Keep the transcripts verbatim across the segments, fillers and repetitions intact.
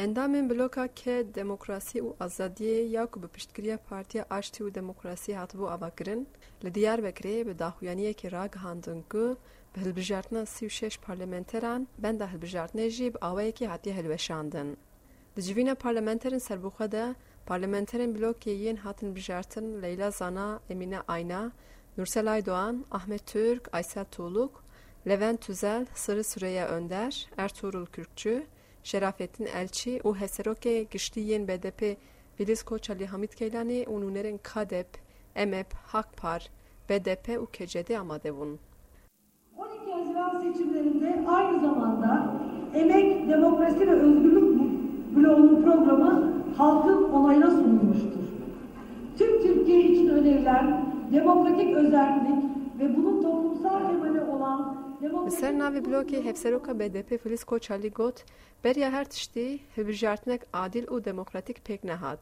Endamên Bloka K, Demokrasî û Azadiyê ya ku bi piştgiriya Partiya Aştî û Demokrasî hatibû avakirin, li Diyarbekirê bi daxuyaniyekê ragihandin ku bi hilbijartina sî û şeş parlamenteran benda hilbijartinê jî bi awayekê hatiye hilweşandin. Di civîna parlamenterên serbixwe de, parlamenterên blokê yên hatin bijartin Leyla Zana, Emîne Ayna, Nursel Aydoğan, Ahmet Türk, Aysel Tuğluk, Levent Tüzel, Sırrı Süreyya Önder, Ertuğrul Kürkçü, Şerafettin Elçi û Hevserokê Giştî yên B D P Filiz Koçalî, Hamit Keylanî û nûnerên KADEP, EMEP, HAK-PAR, B D P û K C D amade bûn. On iki Haziran seçimlerinde aynı zamanda Emek, Demokrasi ve Özgürlük Bloğu'nun programı halkın onayına sunulmuştur. Tüm Türkiye için önerilen demokratik özerklik ve bunun toplumsal temeli olan Li ser navê blokê hevseroka B D P Filiz Koçalî got, beriya her tiştî hilbijartinek adil û demokratîk pêk nehat.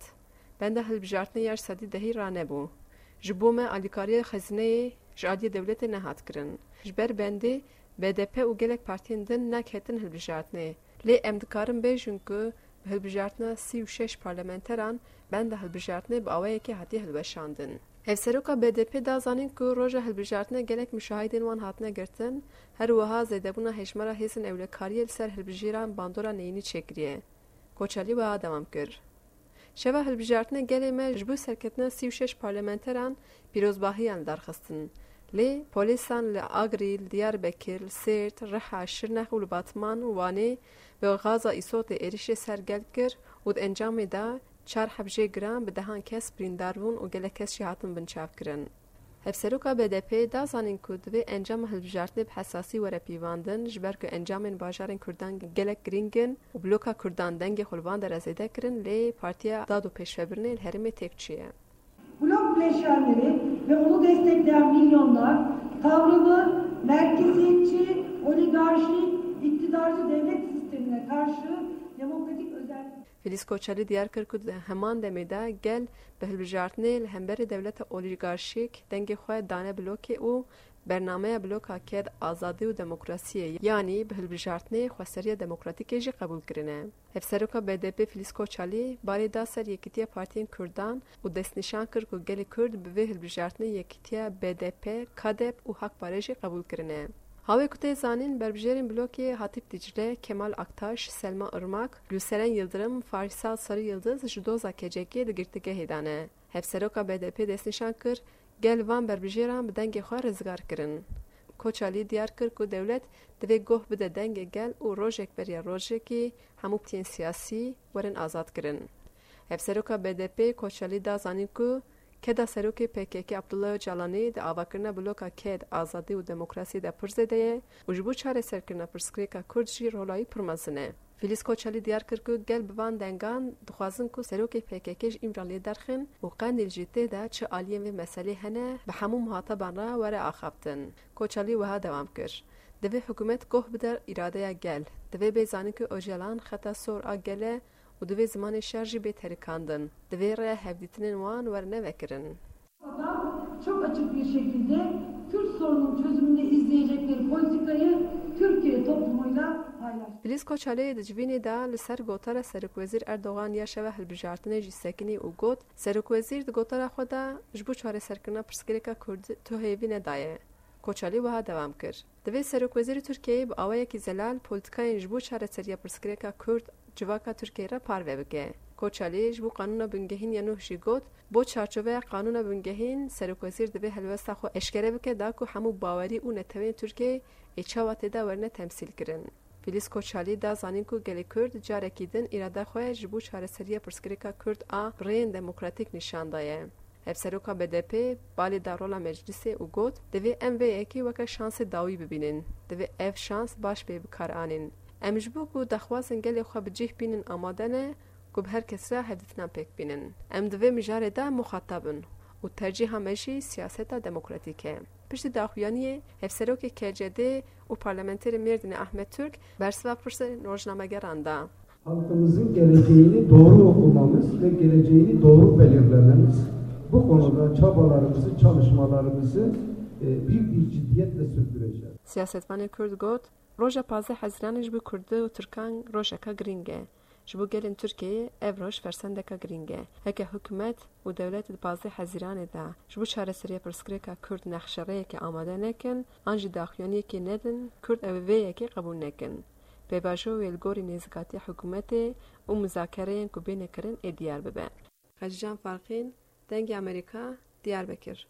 Benda hilbijartinê ya ji sedî dehî ranebû. Ji bo me alîkariya xezîneyê ji aliyê dewletê nehat kirin. Ji ber bendê B D P û gelek partiyên din neketin hilbijartinê. Lê em dikarin bêjin ku bi hilbijartina sî û şeş parlamenteran benda hilbijartinê bi awayekê hatiye hilweşandin. Hevseroka B D P da zanîn ku roja hilbijartinê gelek muşahidên wan hatine girtin, her wiha zêdebûna hejmara hêzên ewlekariyê li ser hilbijêran bandora neyînî çêkiriye. Koçalî wiha dewam kir, Şeva hilbijartinê gelê me ji bo serketina sî û şeş parlamenteran pîrozbahiyan li dar xistin. Lê polîsan li Agrî, li Diyarbekir, li Sêrt, Riha, Şirnex û li Batman û Wanê bi gaza îsotê êrişê ser gel kir û di encamê de çar heb jê giran bi dehan kes birîndar bûn û gelek kes jî hatin binçavkirin. Hevseroka B D P da zanîn ku divê encama hilbijartinê bi hesasî were pîvandin, ji ber ku encamên bajarên Kurdan gelek girîng in û bloka Kurdan dengê xwe li van dere zêde kirin, lê Partiya Dad û Pêşvebirinê li herêmê têk çûye. Blok bileşenleri ve onu destekleyen milyonlar tavrını merkeziyetçi, oligarşik, iktidarcı devlet sistemine karşı demokratik özel Filiz Koçalî diyar kir ku di heman demê de gel bi hilbijartinê li hemberî dewleta olîgarşîk dengê xwe dane blokê û bernameya bloka ked azadî û demokrasiyê, yanî bi hilbijartinê xweseriya demokratîkê jî qebûl kirine. Hevseroka B D P Filiz Koçalî barê da ser yekîtiya partiyên Kurdan û destnîşan kir ku gelê Kurd bi vê hilbijartinê yekîtiya B D P, KADEP û HAK-PARê jî qebûl kirine. Hawê ku tê zanîn, berbijêrên blokê Hatîp Dîcle, Kemal Aktaş, Selma Irmak, Gülseren Yıldırım, Faysal Sarı Yıldız ji doza K C K'ê di girtîgehê de ne. Hevseroka B D P destnîşan kir, gel van berbijêran bi dengê xwe rizgar kirin. Koçalî diyar kir ku dewlet divê goh bide dengê gel û rojek beriya rojekî hemû partiyên siyasî werin azadkirin. Hevseroka B D P Koçalî da zanîn ku keda serokê P K K Abdullah Ocalanî di avakirina bloka ked, azadî û demokrasiyê de pir zêde ye û ji bo çareserkirina pirsgirêka Kurd jî rola wî pir mezin e. Filiz Koçalî diyar kir ku gel bi van dengan dixwazin ku serokê P K K ji Îmraliyê derxin û Qendîl jî tê de çi aliyên vê meselê hene, bi hemû muhataban re were axaftin. Koçalî wiha dewam kir, Divê hikûmet goh bide îradeya gel. Divê bê zanîn ku Ocalan xeta sor a gel e û divê zimanê şer jî bê terikandin. Divê rêya hevdîtinên wan were nevekirin. Adam çok açık bir şekilde Kürt sorunun çözümünde izleyecekleri politikayı Türkiye toplumuyla paylaştı. Filiz Koçalê di civînê de li ser gotara Serokwezîr Erdogan ya şeva hilbijartinê jî sekinî û got, Serokwezîr di gotara xwe de ji bo çareserkirina pirsgirêka Kurd tu hêvî nedaye. Koçalî wiha dewam kir, Divê Serokwezîrê Tirkiyeyê bi awayekî zelal polîtikayên ji bo çareseriya pirsgirêka Kurd civaka Tirkiyeyê re parve bike. Koçalî ji bo Qanûna Bingehîn ya nûh jî got, Bo çarçoveya Qanûna Bingehîn, Serokwezîr divê helwesta xwe eşkere bike da ku hemû bawerî û neteweyên Tirkiyeyê ê çawa tê de werine temsîlkirin. Filiz Koçalî da zanîn ku gelê Kurd carekî din îrada xwe ji bo çareseriya pirsgirêka Kurd a bi rêyên demokratîk nîşan daye. Hevseroka B D P balê da rola meclisê û got, Divê em vê yekê weke şansê dawî bibînin. Divê ev şans baş bê bi kar anîn. Em ji bo ku daxwazên gelê xwe bi cih bînin amade ne ku bi her kes re hevdîtinan pêk bînin. Em di vê mijarê de muxatab in û tercîha me jî siyaseta demokratîk e. Piştî daxuyaniyê, hevserokê K C D û parlamenterê Mêrdînê Ahmet Türk bersiva pirsên rojnamegeran da. Halkımızın geleceğini doğru okumamız ve geleceğini doğru belirlememiz, bu konuda çabalarımızı, çalışmalarımızı, e, büyük bir ciddiyetle sürdüreceğiz. Siyasetvanê Kurd got, Roja pazdeh Hezîranê ji bo Kurd û Tirkan rojeka girîng e. Ji bo gelên Tirkiyeyê ev roj fersendeka girîng e. Heke hikûmet û dewlet di pazdeh Hezîranê de ji bo çareseriya pirsgirêka Kurd nexşerêyekê amade nekin, an jî daxuyaniyekê nedin, Kurd ew vê yekê qebûl nekin. Pêvajoyê wê li gorî nêzîkatiya hikûmetê û muzakereyên ku bêne kirin ê diyar bibe. Xecîcan Farqîn, Dengê Amerîka, Diyarbekir.